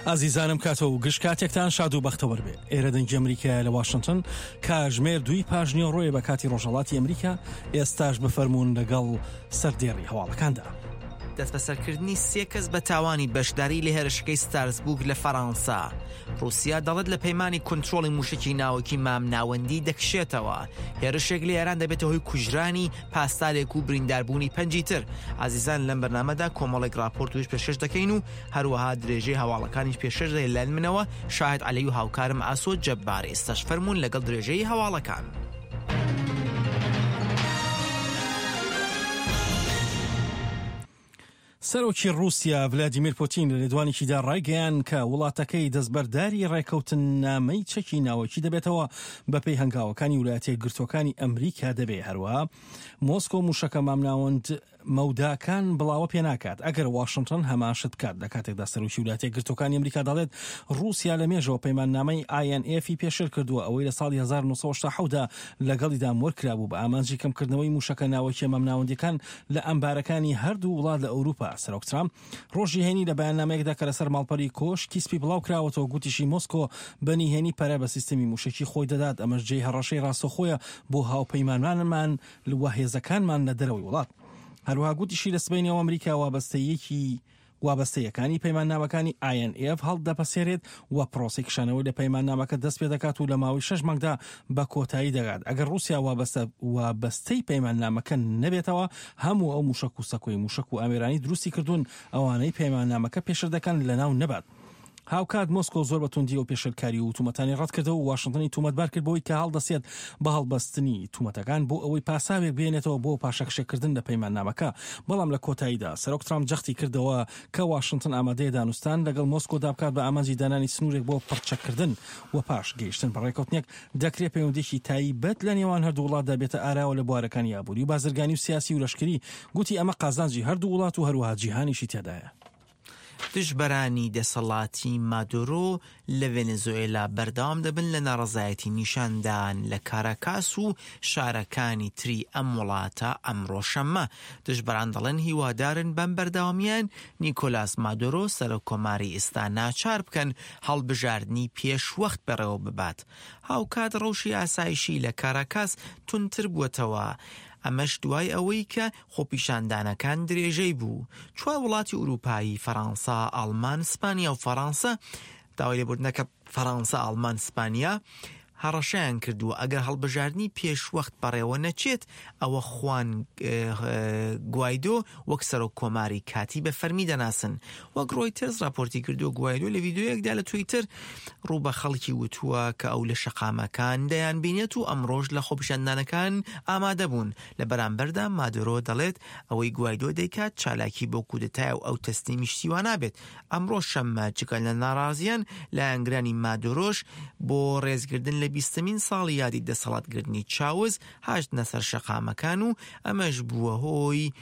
ئازیزانم کاتە و گشت کاتێکتان شاد و بەختەوەر بێ ئێرە دەنگی ئەمریکایە لە واشنتن کاژمێر دووی پاژنیوەڕۆیە بە کاتی ڕۆژهەڵاتی ئەمریکا ئێستاش بفەرموون لەگەڵ سەردێڕی هەواڵەکاندا. دەستبەسەرکردنی سێ کەس بە تاوانی بەشداری لە هێرشەکەی ستارسبوک لە فەرانسە. ڕووسیا دەڵێت لە پەیمانی کونترۆڵی مووشەکی ناوەکی مام ناوەندی دەکشێتەوە. هێرشێک لە ئێران دەبێتە هۆی کوژرانی پاسدارێک و برینداربوونی پەنجی تر. ئازیزان لەم بەرنامەدا کۆمەڵێک ڕاپۆرت وش پێشکەش دەکەین و هەروەها درێژەی هەواڵەکانیش پێشکەش دەکەین لەلایەن منەوە شاهد عەلی و هاوکارم ئاسۆ جەبار. ئێستاش فەرموون لەگەڵ درێژەی هەواڵەکان. سەرۆکی ڕووسیا ڤلادیمیر پوتین لە لێدوانێکیدا ڕایگەیاند کە وڵاتەکەی دەستبەرداری ڕێکەوتننامەی چەکی ناوەکی دەبێتەوە بەپێی هەنگاوەکانی ویلایەتە یەکگرتووەکانی ئەمریکا دەبێ هەروەها مۆسکۆ موشەکە مامناوەند مەوداکان بڵاوە پێناکات ئەگەر واشنتن هەمان شت بکات لە کاتێکدا سەرۆکی ویلایەتە یەکگرتووەکانی ئەمریکا دەڵێت ڕووسیا لە مێژەوە پەیماننامەی INF ی پێشێل کردووە ئەوەی لە ساڵی 1970 دا لەگەڵیدا مۆر کرابوو بە ئامانجی کەمکردنەوەی موشەکە ناوەکیە مامناوەندیەکان لە ئەمبارەکانی هەردوو وڵات لە ئەوروپا. سەرۆک ترامپ ڕۆژی هەینی لە بەیاننامەیەکدا کە لەسەر ماڵپەری کۆشکی سپی بڵاو کراوەتەوە گوتیشی مۆسکۆ بە نهێنی پەرە بە سیستمی موشەکی خۆی دەدات ئەمەش جێی هەڕەشەی ڕاستەوخۆیە بۆ هاوپەیمانانمان و هێزەکانمان لە دەرەوەی وڵات. هەروەها گوتیشی لە سبەینێوە ئەمریکا وابەستەییەکی وابەستەیەکانی پەیماننامەکانی INF هەڵدەپەسێرێت و پرۆسەی کشانەوەی لە پەیماننامەکە دەست پێدەکات و لە ماوەی شەش مانگدا بە کۆتایی دەگات. ئەگەر ڕووسیا وابەستە وابەستەی پەیماننامەکە نەبێتەوە، هەموو ئەو مووشەک و سەکۆی مووشەک و ئامێرانەی دروستی کردوون، ئەوانەی پەیماننامەکە پێشێل دەکەن لەناو نەبات. هاوکات مۆسکۆ زۆر بە توندی ئەو پێشێلکاری و تومەتانی ڕەتکردەوە و واشنتنی تومەتبار کرد بەوەی کە هەڵدەسێت بە هەڵبەستنی تومەتەکان بۆ ئەوەی پاساوێک بهێنێتەوە بۆ پاشەکشێکردن لە پەیماننامەکە. بەڵام لە کۆتاییدا سەرۆک ترامپ جەختی کردەوە کە واشنتن ئامادەیە دانوستان لەگەڵ مۆسکۆدا بکات بە ئامانجی دانانی سنوورێک بۆ پڕچەککردن و پاش گەیشتن بە ڕێککەوتنێک دەکرێ پەیوەندییەکی تایبەت لە نێوان هەردوو وڵاتدا بێتە ئاراوە لە بوارەکانی ئابووری و بازرگانی و سیاسی و لەشکری. گوتی ئەمە قازانجی هەردوو وڵات و هەروەها جیهانیشی تێدایە. دژبەرانی دەسەڵاتی مادورۆ لە ڤێنێزۆئێلا بەردەوام دەبن لە ناڕەزایەتی نیشاندان لە کاراکاس و شارەکانی تری ئەم وڵاتە ئەمڕۆ شەممە. دژبەران دەڵێن هیوادارن بەم بەردەوامییان نیکۆلاس مادورۆ سەرۆک کۆماری ئیستا ناچار بکەن هەڵبژاردنی پێشوەخت بەڕێوە ببات. هاوکات ڕەوشی ئاسایشی لە کاراکاس توندتر بووەتەوە، ئەمەش دوای ئەوەی کە خۆپیشاندانەکان درێژەی بوو. چوار وڵاتی ئورووپایی، فەرانسە، ئاڵمان، سپانیا و فەرانسە، داوای لێبوردنەکە فەرانسە، ئاڵمان، سپانیا، هەڕەشەیان کردووە ئەگەر هەڵبژاردنی پێشوەخت بەڕێوە نەچێت، ئەوە خوان گوایدۆ وەک سەرۆک کۆماری کاتی بە فەرمی دەناسن. وەک ڕۆیتەرز ڕاپۆرتی کردووە، گوایدۆ لە ڤیدیۆیەکدا لە تویتەر ڕوو بە خەڵکی وتووە کە ئەو لە شەقامەکان دەیانبینێت و ئەمڕۆش لە خۆپیشاندانەکان ئامادە بوون. لە بەرامبەردا مادورۆ دەڵێت ئەوەی گوایدۆ دەیکات چالاکی بۆ کودەتایە و ئەو تەسلیمی شتی وا نابێت. ئەمڕۆ شەممە جگە لە ناڕازیان، لایەنگرانی مادورۆش بۆ ڕێزگردن لە بیستەمین ساڵیادی دەسەڵاتگرتنی چاوز هاتنە سەر شەقامەکان و ئەمەش بووە هۆی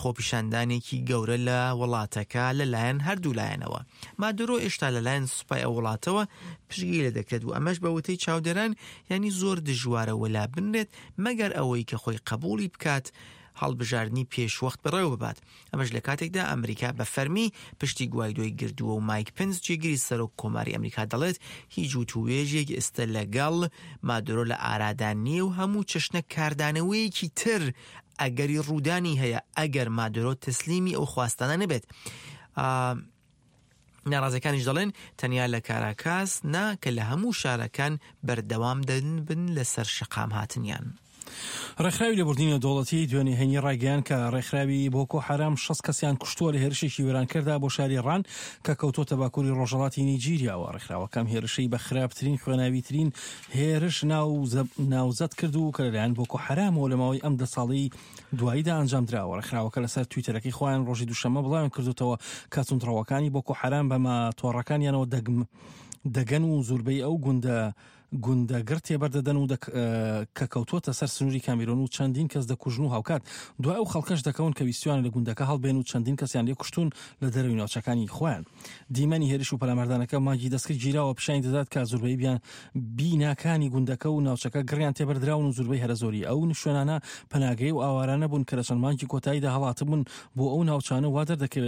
خۆپیشاندانێکی گەورە لە وڵاتەکە لەلایەن هەردوو لایەنەوە. مادورۆ ئێشتا لەلایەن سوپای ئەو وڵاتەوە پشتگیری لێ دەکرێت و ئەمەش بە وتەی چاودێران یانی زۆر دژوارە وەلا بنرێت مەگەر ئەوەی کە خۆی قەبووڵی بکات هەڵبژاردنی پێشوەخت بەڕێوە ببات. ئەمەش لە کاتێکدا ئەمریکا بە فەرمی پشتی گوایدۆی گردووە و مایک پنس جێگری سەرۆک کۆماری ئەمریکا دەڵێت هیچ وتووێژێک ئێستا لەگەڵ مادورۆ لە ئارادا نییە و هەموو چەشنە کاردانەوەیەکی تر ئەگەری ڕوودانی هەیە ئەگەر مادورۆ تەسلیمی ئەو خواستانە نەبێت. ناڕازیەکانیش دەڵێن تەنیا لە کاراکاس نا کە لە هەموو شارەکان بەردەوام دەبن لەسەر شەقام هاتنیان. ڕێکخراوی لێبوردنی نێودەوڵەتی دوێنێ هەینی ڕایگەیاند کە ڕێکخراوی بۆکۆ حەرام 60 کەسیان کوشتووە لە هێرشێکی وێرانکەردا بۆ شاری ڕان کە کەوتووەتە باکووری ڕۆژهەڵاتی نیجیریاوە. ڕێکخراوەکە ئەم هێرشەی بە خراپترین خوێناویترین هێرش ناوزەد کرد و کە لەلایەن بۆکۆ حەرامەوە لە ماوەی ئەم دە ساڵەی دواییدا ئەنجامدراوە. ڕێکخراوەکە لەسەر تویتەرەکەی خۆیان ڕۆژی دووشەممە بڵاویان کردوتەوە کە توندڕەوەکانی بۆکۆ حەرام بە ماتۆڕەکانیانەوە دەگەن و زۆربەی ئەو گوندە گوندە گڕ تێبەردەدەن و کە کەوتووەتە سەر سنووری کامیرۆن و چەندین کەس دەکوژن و هاوکات دوای ئەو خەڵکەش دەکەون کە ویستویانە لە گوندەکە هەڵبێن و چەندین کەسیان لێ کوشتوون لە دەرەوەی ناوچەکانی خۆیان. دیمەنی هێرش و پەلاماردانەکە مانگی دەستکرد گیراوە پیشانی دەدات کە زوربەی بیان بیناکانی گوندەکە و ناوچەکە گڕیان تێبەردراون و زوربەی هەرە زۆری ئەو شوێنانە پەناگەی و ئاوارانە بوون کە لە چەند مانگی کۆتاییدا هەڵاتبوون بۆ ئەو ناوچانە وا دەردەکەوێت.